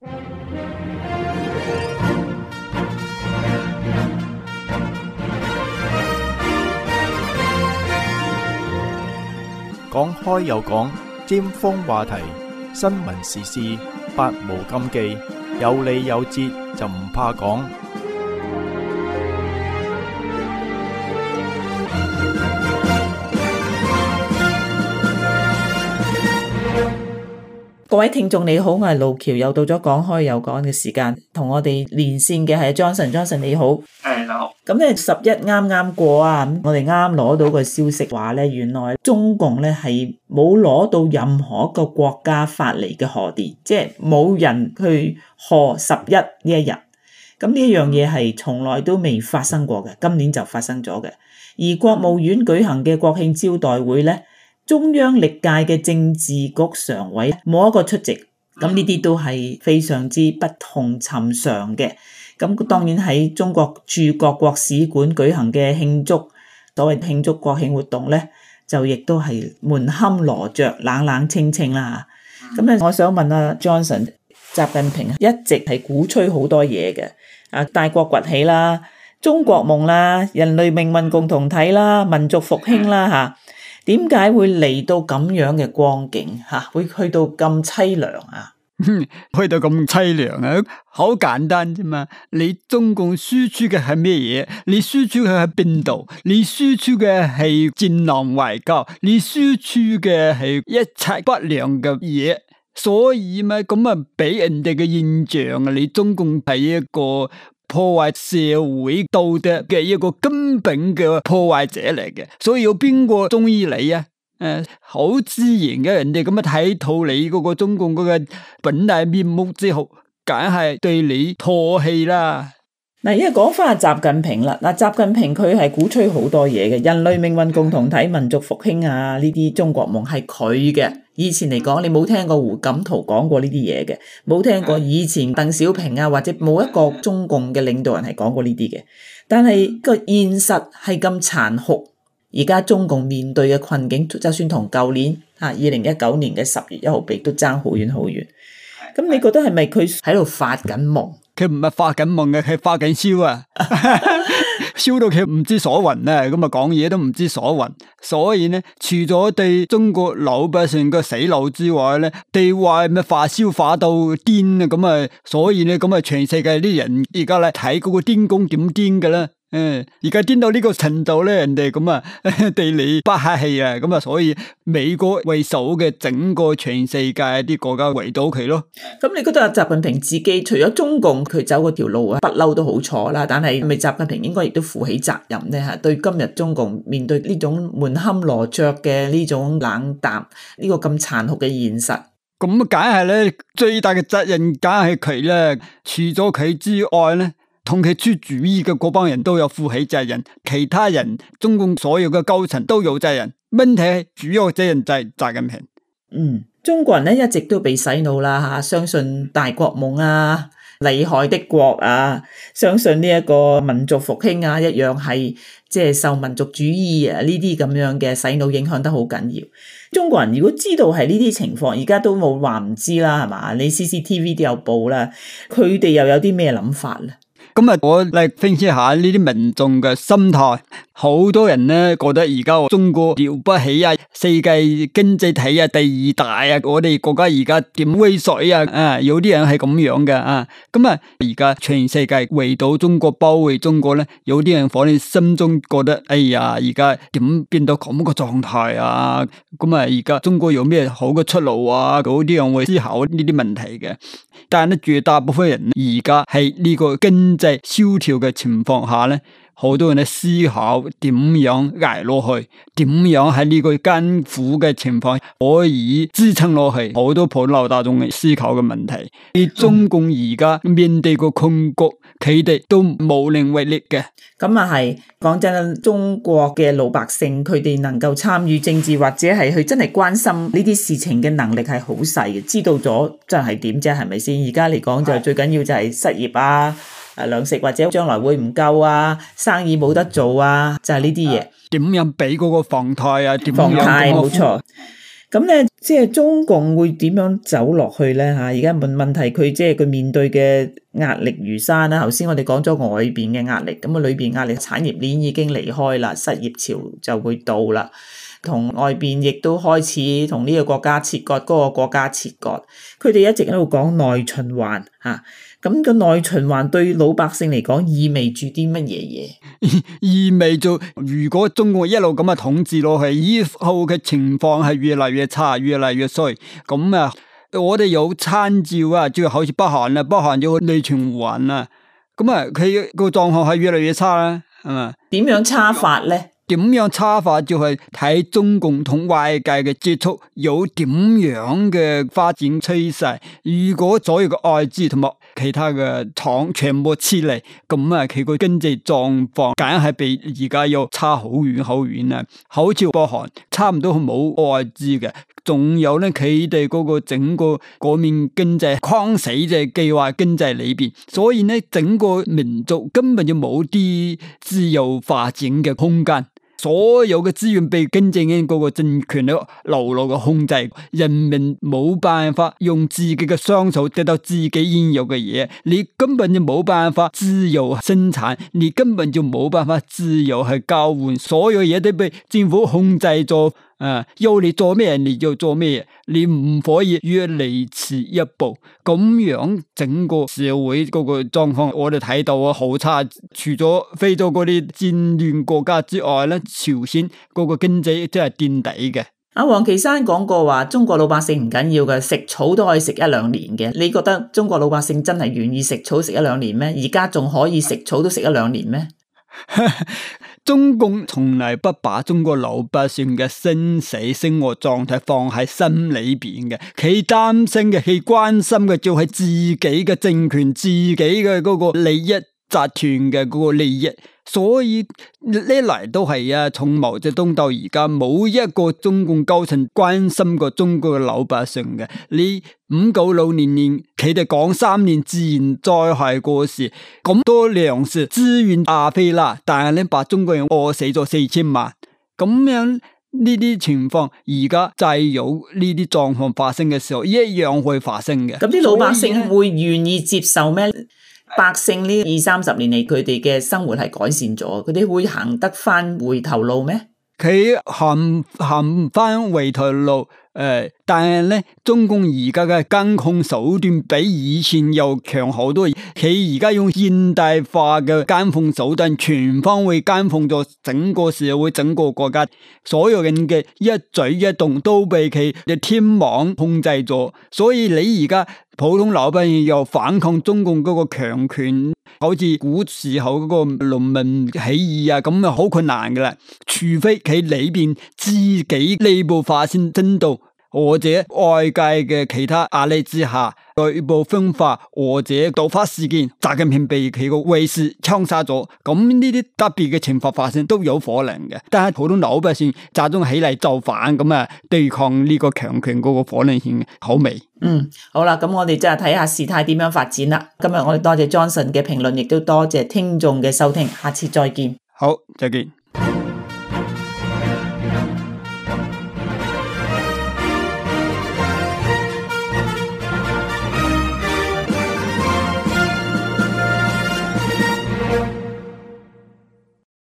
講開又講，尖鋒話題，新聞時事，百無禁忌，有理有節就唔怕講。各位聽眾你好，我係路橋，又到咗講開又講嘅時間，同我哋連線嘅係 Johnson 你好。你好。咁咧11啱啱過啊，我哋啱攞到個消息話咧，原來中共咧係冇攞到任何一個國家發嚟嘅賀電，即係冇人去賀11呢一日。咁呢一樣嘢係從來都未發生過嘅，今年就發生咗嘅。而國務院舉行嘅國慶招待會咧，中央歷屆嘅政治局常委冇一個出席，咁呢啲都係非常之不同尋常嘅。咁當然喺中國駐各國使館舉行嘅所謂慶祝國慶活動咧，就亦都係門可羅雀、冷冷清清啦。咁咧，我想問阿 Johnson， 習近平一直係鼓吹好多嘢嘅，大國崛起啦、中國夢啦、人類命運共同體啦、民族復興啦嚇。點解會嚟到咁樣嘅光景吓？會去到咁淒涼啊？去到咁淒涼啊？好簡單啫嘛！你中共輸出嘅係咩嘢？你輸出嘅係邊度？你輸出嘅係戰狼外交，你輸出嘅係一切不良嘅嘢，所以咪咁啊俾人哋嘅印象啊！你中共係一個破壞社會道德嘅一個根本嘅破壞者嚟嘅，所以有邊個中意你啊？好自然嘅，人哋咁樣睇透你嗰個中共嗰個本來面目之後，梗係對你唾棄啦。嗱，而家講翻習近平啦，習近平佢係鼓吹好多嘢嘅，人類命運共同體、民族復興啊，呢啲中國夢係佢嘅。以前嚟講，你冇聽過胡錦濤講過呢啲嘢嘅，冇聽過以前鄧小平啊，或者冇一個中共嘅領導人係講過呢啲嘅。但係個現實係咁殘酷，而家中共面對嘅困境，就算同舊年2019年嘅10月1號比，都爭好遠好遠。咁你覺得係咪佢喺度發緊夢？佢唔係發緊夢嘅，佢發緊燒啊！燒到佢唔知所云啊！咁啊講嘢都唔知所云。所以呢，除咗對中國老百姓嘅洗腦之外呢，對外咩發燒發到癲啊！咁啊，所以呢，咁啊，全世界啲人而家咧睇嗰個癲公點癲嘅啦。而家癲到呢個程度咧，人哋咁啊對你不客氣啊，咁啊，所以美國為首嘅整個全世界啲國家圍到佢咯。咁你覺得習近平自己除咗中共佢走嗰條路啊，不嬲都好錯啦，但係咪習近平應該亦都負起責任咧？吓，對今日中共面對呢種門可羅雀嘅呢種冷淡，呢個咁殘酷嘅現實，咁梗係咧，最大嘅責任梗係佢咧，除咗佢之外咧。同佢出主意嘅嗰幫人都有負起責任，其他人中共所有嘅高層都有責任。問題主要責任就係習近平。中國人咧一直都被洗腦啦吓，相信大國夢啊、厲害的國啊，相信呢一個民族復興啊，一樣係即係受民族主義啊呢啲咁樣嘅洗腦影響得好緊要。中國人如果知道係呢啲情況，而家都冇話唔知啦，係嘛？你 CCTV 都有報啦，佢哋又有啲咩諗法咧？咁啊，我嚟分析下呢啲民眾嘅心態。好多人呢覺得而家中國了不起啊，世界經濟體啊，第2大啊，我哋國家而家點威水啊？有啲人係咁樣嘅啊。咁啊，而家全世界圍堵中國、包圍中國咧，有啲人可能心中覺得，哎呀，而家點變到咁個狀態啊？咁啊，而家中國有咩好嘅出路啊？嗰啲人會思考呢啲問題嘅。但係咧，絕大部分人而家喺呢個經濟蕭條嘅情況下咧，好多人咧思考點樣捱落去，點樣喺呢個艱苦嘅情況可以支撐落去，好多普羅大眾嘅思考嘅問題。而中共而家面對個困局，佢哋都無能為力嘅。咁啊係，講真，中國嘅老百姓佢哋能夠參與政治或者係去真係關心呢啲事情嘅能力係好細嘅，知道咗就係點啫，係咪先？而家嚟講就最緊要就係失業啊。糧食或者將來會唔夠啊，生意冇得做啊，就係呢啲嘢。點樣俾嗰個房貸啊？點樣房貸冇錯。咁咧，即係中共會點樣走落去咧？嚇，而家問題，佢即係佢面對嘅壓力如山啦。頭先我哋講咗外邊嘅壓力，咁啊裏邊壓力，產業鏈已經離開啦，失業潮就會到啦。同外邊亦都開始同呢個國家切割，嗰個國家切割。佢哋一直喺度講內循環嚇，咁個內循環對老百姓嚟講意味住啲乜嘢嘢？意味住如果中國一路咁啊統治落去，以後嘅情況係越嚟越差，越嚟越衰。咁啊，我哋有參照啊，就好似北韓啦，北韓有內循環啦。咁啊，佢個狀況係越嚟越差啦，係嘛？點樣差法咧？點樣差法就係睇中共同外界嘅接觸有點樣嘅發展趨勢。如果所有嘅外資同埋其他嘅廠全部撤離，咁啊佢個經濟狀況梗係比而家要差好遠好遠啦。好似北韓差唔多冇外資嘅，仲有咧佢哋嗰個整個嗰面經濟框死在計劃經濟裏邊，所以咧整個民族根本就冇啲自由發展嘅空間。所有嘅資源被經濟嘅嗰個政權咧牢牢嘅控制，人民冇辦法用自己嘅雙手得到自己應有嘅嘢，你根本就冇辦法自由生產，你根本就冇辦法自由去交換，所有嘢都被政府控制咗。要你做咩你就做咩，你唔可以越嚟遲一步，咁樣整個社會嗰個狀況我哋睇到啊好差。除咗非洲嗰啲戰亂國家之外咧，朝鮮嗰個經濟真係墊底嘅。阿王岐山講過話，中國老百姓唔緊要嘅，食草都可以食一兩年嘅。你覺得中國老百姓真係願意食草食一兩年咩？而家仲可以食草都食一兩年咩？中共從來不把中國老百姓嘅生死生活狀態放喺心裏邊嘅，佢擔心嘅，佢關心嘅就係自己嘅政權、自己嘅嗰個利益集團嘅嗰個利益。所以呢嚟都係啊，從毛澤東到而家冇一個中共高層關心過中國嘅老百姓嘅。你596年佢哋講3年自然災害過時，咁多糧食資源亞非拉，但係咧把中國人餓死咗4000萬，咁樣呢啲情況而家再有呢啲狀況發生嘅時候，一樣會發生嘅。咁啲老百姓會願意接受咩？百姓呢20-30年嚟，佢哋嘅生活係改善咗，佢哋會行得翻回頭路咩？佢行唔翻回頭路，但係咧，中共而家嘅監控手段比以前又強好多。佢而家用現代化嘅監控手段，全方位監控咗整個社會、整個國家，所有人嘅一舉一動都被佢嘅天網控制咗。所以你而家普通老百姓又反抗中共嗰個強權，好似古時候嗰個農民起義啊，咁啊好困難噶啦。除非佢裏邊自己內部發生爭鬥，或者外界嘅其他壓力之下內部分化，或者突發事件，習近平被佢個衛士槍殺咗，咁呢啲特別嘅情況發生都有可能嘅。但係普通老百姓集中起嚟就反，咁啊對抗呢個強權嗰個可能性好微。好啦，咁我哋就係睇下事態點樣發展啦。今日我哋多謝 Johnson 嘅評論，亦都多謝聽眾嘅收聽，下次再見。好，再見。